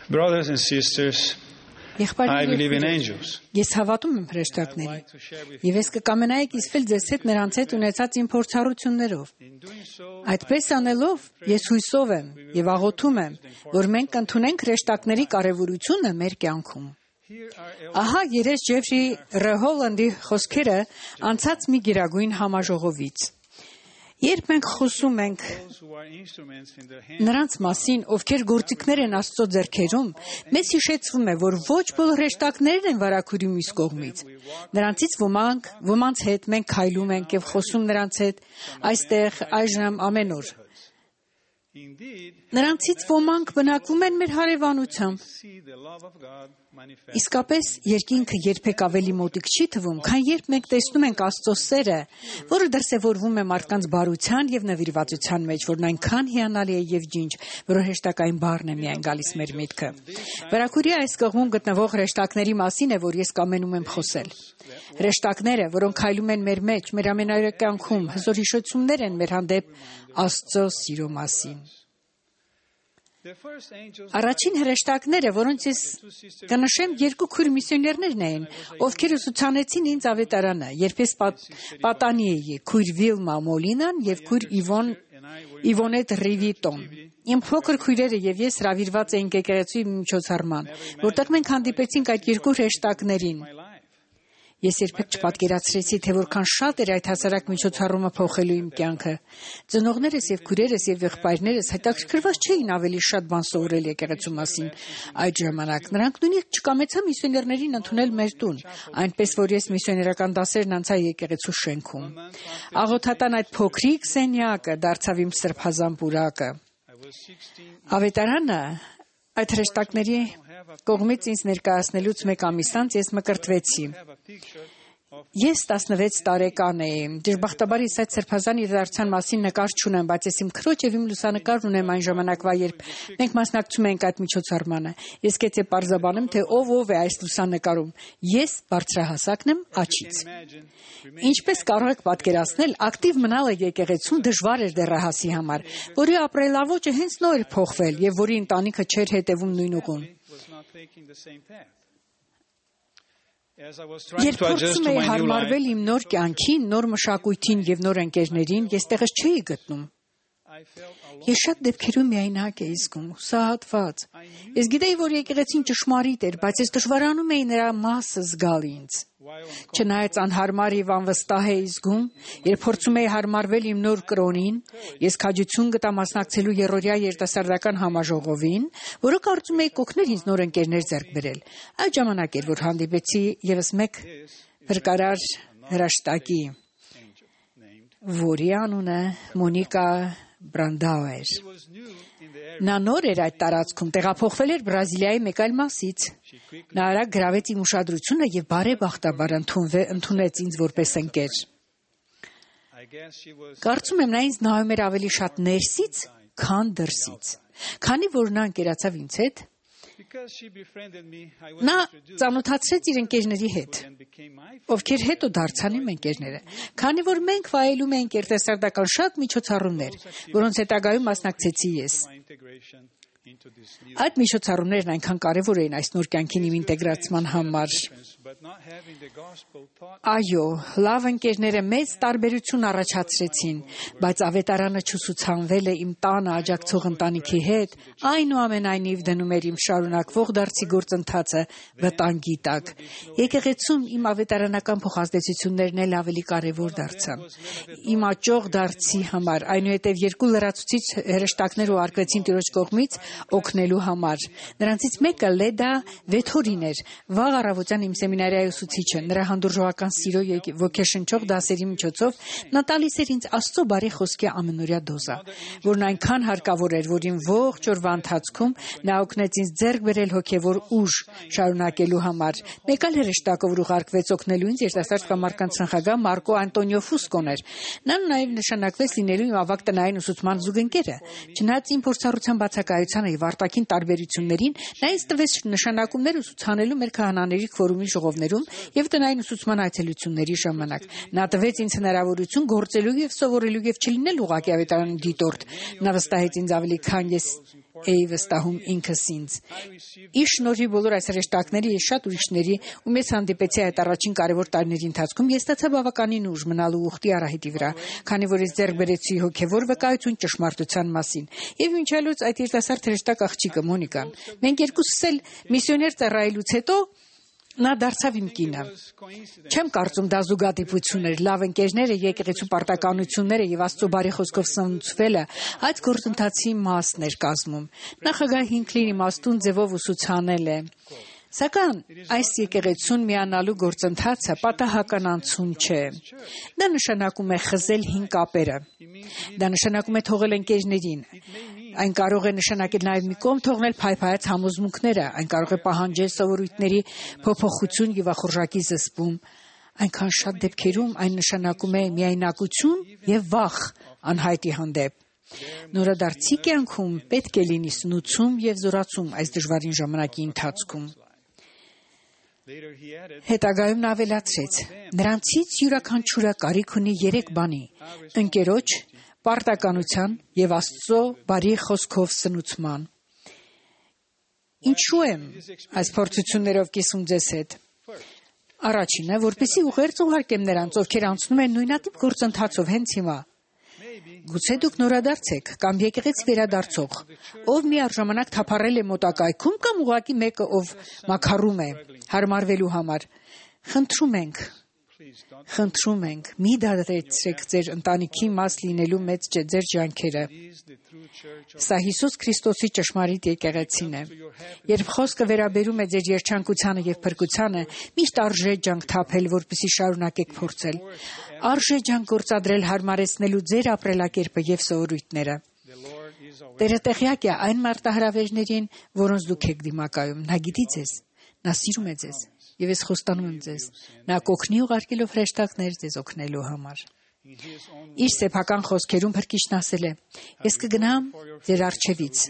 Brothers and sisters, I believe in angels. Ես հավատում եմ հրեշտակների, եւ ես կկամենայի կիսվել ձեզ հետ նրանց հետ ունեցած իմ փորձառություններով։ Այդպես անելով, ես հույսով եմ եւ աղոթում եմ, որ մենք կընդունենք հրեշտակների կարեւորությունը մեր կյանքում։ Ահա երես Ջեֆրի Ռեհոլանդի խոսքերը անցած մի գերագույն համաժողովից։ Երբ մենք խոսում ենք նրանց մասին, ովքեր գործիքներ են Աստծո ձեռքերում, մեզ հիշեցվում է, որ ոչ բոլոր հրեշտակներն են վարագույրի մյուս կողմից։ Նրանցից ոմանց հետ մենք քայլում ենք եւ խոսում նրանց հետ այստեղ այժմ ամեն օր։ Նրանցից ոմանք բնակվում են մեր հարևանությամբ։ Իսկապես երկինքը երբեք ավելի մոտիկ չի թվում, քան երբ մենք տեսնում ենք Աստծո սերը, որը դրսևորվում է մարդկանց բարության եւ նվիրվածության մեջ, որն այնքան հիանալի է եւ ջինջ, որ հրեշտակային բառն է միայն գալիս մեր միտքը։ Վարագույրի այս կողմում գտնվող հրեշտակների մասին է, որ ես կամենում եմ խոսել։ Հրեշտակները, որոնք քայլում են մեր մեջ, մեր ամենօրյա կյանքում, հզոր հիշեցումներ են մեր հանդեպ Աստծո սիրո մասին։ Առաջին հրեշտակները, որոնց ես կնշեմ, երկու քույր միսիոներներն էին, ովքեր ուսուցանեցին ինձ ավետարանը, երբ ես պատանի էի, քույր Վիլմա Մոլինան եւ քույր Իվոնետ Ռիվիտոն։ Իմ փոքր քույրերը եւ ես հրավիրված էինք եկեղեցու միջոցառման, որտեղ մենք հանդիպեցինք այդ երկու հրեշտակներին։ Ես երբեք չպատկերացրեցի, թե որքան շատ էր այդ հասարակ միջոցառումը փոխելու իմ կյանքը։ Ծնողներս եւ քույրերս եւ եղբայրներս հետաքրքրված չէին ավելի շատ բան սովորել եկեղեցու մասին այդ ժամանակ։ Նրանք նույնիսկ չկամեցան միսիոներներին ընդունել մեր տուն, այնպես որ ես միսիոներական դասերն անցա եկեղեցու շենքում։ Աղոթատան այդ փոքրիկ սենյակը դարձավ իմ սրբազան պուրակը։ Ավետարանը այդ հրեշտակների կողմից ինձ ներկայացնելուց մեկ ամիս անց ես մկրտվեցի։ Ես 16 տարեկան էի։ Դժբախտաբար ես այդ սրբազան իրադարձության մասին նկար չունեմ, բայց ես իմ քրոջ եւ իմ լուսանկարն ունեմ այն ժամանակվա, երբ մենք մասնակցում էինք այդ միջոցառմանը։ Ես գեցե պարզաբանեմ, թե ով է այս լուսանկարում։ Ես բարձրահասակն եմ աչից։ Ինչպես կարող եք պատկերացնել, ակտիվ մնալը եկեղեցում դժվար էր դեռահասի համար, որի ապրելավոճը հենց նոր էր փոխվել եւ որի ընտանիքը չէր հետևում նույն ուղուն։ Երբ փորձում էի հարմարվել իմ նոր կյանքին, նոր մշակույթին եւ նոր ընկերներին, ես տեղս չէի գտնում։ Ես շատ դեպքերում միայնակ էի զգում, հուսահատված։ Ես գիտեի, որ եկեղեցին ճշմարիտ էր, բայց ես դժվարանում էի նրա մասը զգալ ինձ։ Չնայած անհարմար եւ անվստահ էի զգում, երբ փորձում էի հարմարվել իմ նոր կրոնին, ես քաջություն գտա մասնակցելու երրորդյա երիտասարդական համաժողովին, որը կարծում էի կօգներ ինձ նոր ընկերներ ձեռք բերել։ Այդ ժամանակ էր, որ հանդիպեցի եւս մեկ փրկարար հրեշտակի, որի անունը Մոնիկա Բրանդաուեր։ Նա նոր էր այդ տարածքում, տեղափոխվել էր Բրազիլիայի մեկ այլ մասից։ Նա արագ գրավեց իմ ուշադրությունը եւ բարեբախտաբար ընդունեց ինձ որպես ընկեր։ Կարծում եմ նա ինձ նայում էր ավելի շատ ներսից, քան դրսից։ Քանի որ նա ընկերացավ ինձ հետ, նա ծանոթացրեց իր ընկերների հետ, ովքեր հետո դարձան իմ ընկերները, քանի որ մենք վայելում էինք երիտասարդական շատ միջոցառումներ, որոնց հետագայում մասնակցեցի ես։ Այդ միջոցառումներն այնքան կարևոր էին այս նոր կյանքին իմ ինտեգրացման համար։ Այո, լավ ընկերները մեծ տարբերություն առաջացրեցին, բայց ավետարանը չուսուցանվել է իմ տանը աջակցող ընտանիքի հետ, այնուամենայնիվ դնում էր իմ շարունակվող դարձի գործընթացը վտանգի տակ։ Եկեղեցում իմ ավետարանական փոխազդեցություններն էլ ավելի կարևոր դարձան։ Իմ աճող դարձի համար, այնուհետև երկու լրացուցիչ հրեշտակներ ուղարկվեցին Տիրոջ կողմից օգնելու համար։ Նրանցից մեկը Լեդա Վեթորին էր, վաղ առավոտյան իմ սեմինարիայի ուսուցիչը։ Նրա հանդուրժողական սիրո եւ ոգեշնչող դասերի միջոցով նա տալիս էր ինձ Աստծո բարի խոսքի ամենօրյա դոզա, որն այնքան հարկավոր էր, որ իմ ողջ օրվա ընթացքում նա օգնեց ինձ ձեռք բերել հոգեվոր ուժ շարունակելու համար։ Մեկ այլ հրեշտակը, որ ուղարկվեց օգնելու ինձ, երիտասարդ կամարական ծնխագահ Մարկո Անտոնիո Ֆուսկոն էր։ Նա նաեւ նշանակվեց լինելու իմ ավագ տնային ուսուցման զուգընկերը։ Չնայած իմ փորձառության բացակայությանը եւ արտաքին տարբերություններին, նա ինձ տվեց նշանակումներ ուսուցանելու մեր քահանաների քվորումի ժողովներում եւ տնային ուսուցման այցելությունների ժամանակ։ Նա տվեց ինձ հնարավորություն գործելու եւ սովորելու եւ չլինել ուղղակի ավետարանի դիտորդ։ Նա վստահեց ինձ ավելի քան ես էի վստահում ինքս ինձ։ Իր շնորհի բոլոր այս հրեշտակների եւ շատ ուրիշների ու մեծ հանդիպեցի այդ առաջին կարևոր տարիների ընթացքում ես ստացա բավականին ուժ մնալու ուխտի արահետի վրա, քանի որ ես ձեռք բերեցի հոգեվոր վկայություն ճշմարտության մասին։ Եվ մինչալուց այդ երիտասարդ հրեշտակ աղջիկը Մոնիկան, մենք երկուսս էլ միսիոներ ծառայելուց հետո նա դարձավ իմ կինը։ Չեմ կարծում դա զուգադիպություն էր, լավ ընկերները, եկեղեցու պարտականությունները եւ Աստծո բարի խոսքով սնուցվելը այդ գործընթացի մասն էր կազմում։ Նախագահ Հինքլին իմաստուն ձևով ուսուցանել է. Սակայն այս եկեղեցուն միանալու գործընթացը պատահական անցում չէ։ Դա նշանակում է խզել հին կապերը։ Դա նշանակում է թողել ընկերներին։ Այն կարող է նշանակել նաև մի կողմ թողնել փայփայած համոզմունքները, այն կարող է պահանջել սովորույթների փոփոխություն եւ ախորժակի զսպում։ Այնքան շատ դեպքերում այն նշանակում է միայնակություն եւ վախ անհայտի հանդեպ։ Նորադարձի կյանքում պետք է լինի սնուցում եւ զորացում այս դժվարին ժամանակի ընթացքում։ Հետագայում նա ավելացրեց. նրանցից յուրաքանչյուրը կարիք ունի 3 բանի՝ ընկերոջ, պարտականության եւ Աստծո բարի խոսքով սնուցման։ Ինչու եմ այս փորձություններով կիսում ձեզ հետ։ Առաջինը, որպեսզի ուղերձ ուղարկեմ նրանց, ովքեր անցնում են նույնատիպ գործընթացով հենց հիմա։ Գուցե դուք նորադարձ եք կամ եկեղեցի վերադարձող, ով միառժամանակ թափառել է մոտակայքում կամ ուղղակի մեկը, ով մաքարում է հարմարվելու համար։ Խնդրում ենք, մի դադարեցրեք ձեր ընտանիքի մաս լինելու մեծ ձեր ջանքերը։ Սա Հիսուս Քրիստոսի ճշմարիտ եկեղեցին է։ Երբ խոսքը վերաբերում է ձեր երջանկությանը եւ փրկությանը, միշտ արժե ջանք թափել, որպեսզի շարունակեք փորձել։ Արժե ջանք գործադրել հարմարեցնելու ձեր ապրելակերպը եւ սովորույթները։ Տերը տեղյակ է այն մարտահրավերներին, որոնց դուք եք դիմակայում։ Նա գիտի ձեզ, նա սիրում է ձեզ, եւ ես խոստանում եմ ձեզ, նա կօգնի ուղարկելով հրեշտակներ ձեզ օգնելու համար։ Իր սեփական խոսքերում Փրկիչն ասել է. Ես կգնամ ձեր առջևից,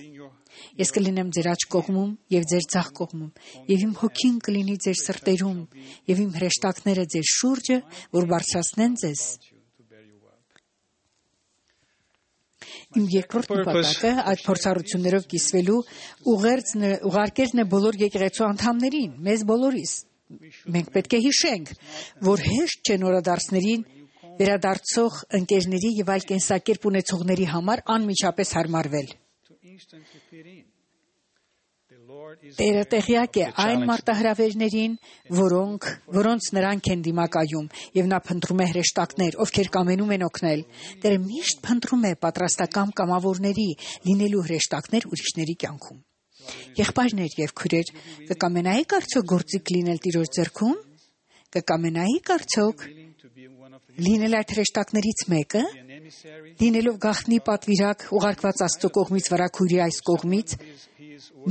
ես կլինեմ ձեր աջ կողմում եւ ձեր ձախ կողմում, եւ իմ հոգին կլինի ձեր սրտերում, եւ իմ հրեշտակները ձեր շուրջը, որ բարձրացնեն ձեզ։ Իմ երկրորդ նպատակը այդ փորձառություններով կիսվելու ուղարկելն է բոլոր եկեղեցու անդամներին, մեզ բոլորիս։ Մենք պետք է հիշենք, որ հեշտ չէ նորադարձներին, վերադարձող ընկերների եւ այլ կենսակերպ ունեցողների համար անմիջապես հարմարվել։ Տերը տեղյակ է այն մարտահրավերներին, որոնց նրանք են դիմակայում, եւ նա փնտրում է հրեշտակներ, ովքեր կամենում են օգնել։ Տերը միշտ փնտրում է պատրաստական կամավորների լինելու հրեշտակներ ուրիշների կյանքում։ Եղբայրներ եւ քույրեր, կկամենայիք արդյոք գործիք լինել Տիրոջ ձեռքում։ Կկամենայիք արդյոք լինել այդ հրեշտակներից մեկը, լինելով գաղտնի պատվիրակ ուղարկված Աստծո կողմից վարագույրի այս կողմից,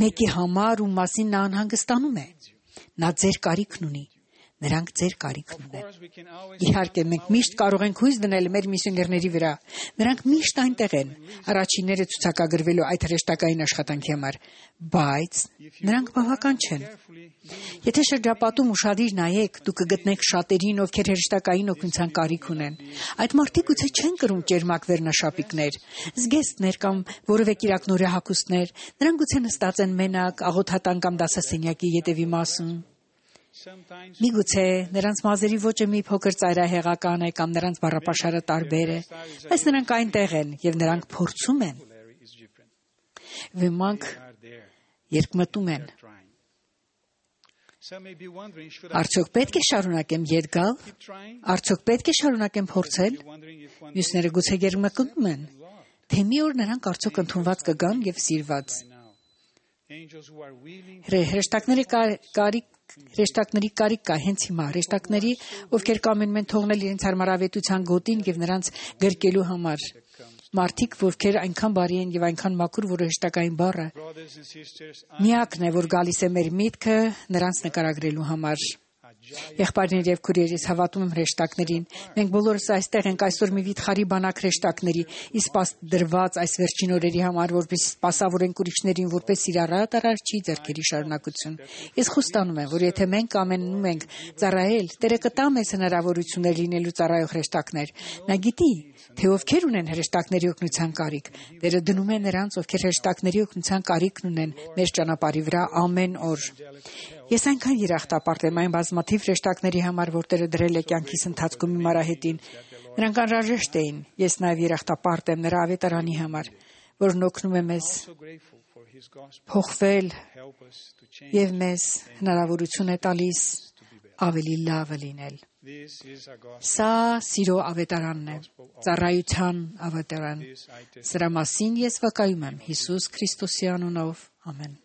մեկի համար, ում մասին նա անհանգստանում է։ Նա ձեր կարիքն ունի, նրանք ձեր կարիքն ունեն։ Իհարկե, մենք միշտ կարող ենք հույս դնել մեր միսիոներների վրա։ Նրանք միշտ այնտեղ են, առաջինները ցուցակագրվելու այդ հրեշտակային աշխատանքի համար, բայց նրանք բավական չեն։ Եթե շրջապատում ուշադիր նայեք, դուք կգտնեք շատերին, ովքեր հրեշտակային օգնության կարիք ունեն։ Այդ մարդիկ գուցե չեն կրում ճերմակ վերնաշապիկներ, զգեստներ կամ որևէ կիրակնորյա հագուստներ։ Նրանք գուցե նստած են մենակ, աղոթատան կամ դասասենյակի ետևի մասում։ Միգուցե նրանց մազերի ոճը մի փոքր ծայրահեղական է կամ նրանց բառապաշարը տարբեր է, բայց նրանք այնտեղ են եւ նրանք փորձում են։ Ոմանք երկմտում են։ Արդյոք պետք է շարունակեմ ետ գալ։ Արդյոք պետք է շարունակեմ փորձել։ Մյուսները գուցե երկմտում են, թե մի օր նրանք արդյոք ընդունված կգան եւ սիրված։ Հրեշտակների կարիք կա հենց հիմա, հրեշտակների, ովքեր կամենում են թողնել իրենց հարմարավետության գոտին եւ նրանց գրկելու համար։ Մարդիկ, ովքեր այնքան բարի են եւ այնքան մաքուր, որ հրեշտակային բառը միակն է, որ գալիս է մեր միտքը նրանց նկարագրելու համար։ Եղբայրներ եւ քուրերիս, հավատում եմ հրեշտակներին։ Մենք բոլորս այստեղ ենք այսօր մի վիթխարի բանակ հրեշտակների, իսկ դրված այս վերջին օրերի համար, որպես սպասավորենք ուրիշներին, որպես իրարատ արարչի ձեռքերի շարունակություն։ Ես խոստանում եմ, որ եթե մենք ամենում ենք ծառայել, Տերը կտա մեզ հնարավորություններ լինելու ծառայող հրեշտակներ։ Նա գիտի, թե ովքեր ունեն հրեշտակների օգնության կարիք։ Տերը դնում է նրանց, ովքեր հրեշտակների օգնության կարիքն ունեն, մեր ճանապարհի վրա ամեն օր։ Ես այնքան երախտապարտ եմ այն բազմաթիվ հրեշտակների համար, որ Տերը դրել է կյանքիս ընթացքում իմ արահետին։ Նրանք անհրաժեշտ էին։ Ես նաև երախտապարտ եմ նրա ավետարանի համար, որն օգնում է մեզ փոխվել եւ մեզ հնարավորություն է տալիս ավելի լավը լինել։ Սա սիրո ավետարանն է, ծառայության ավետարան։ Սրա մասին ես վկայում եմ Հիսուս Քրիստոսի անունով։ Ամեն։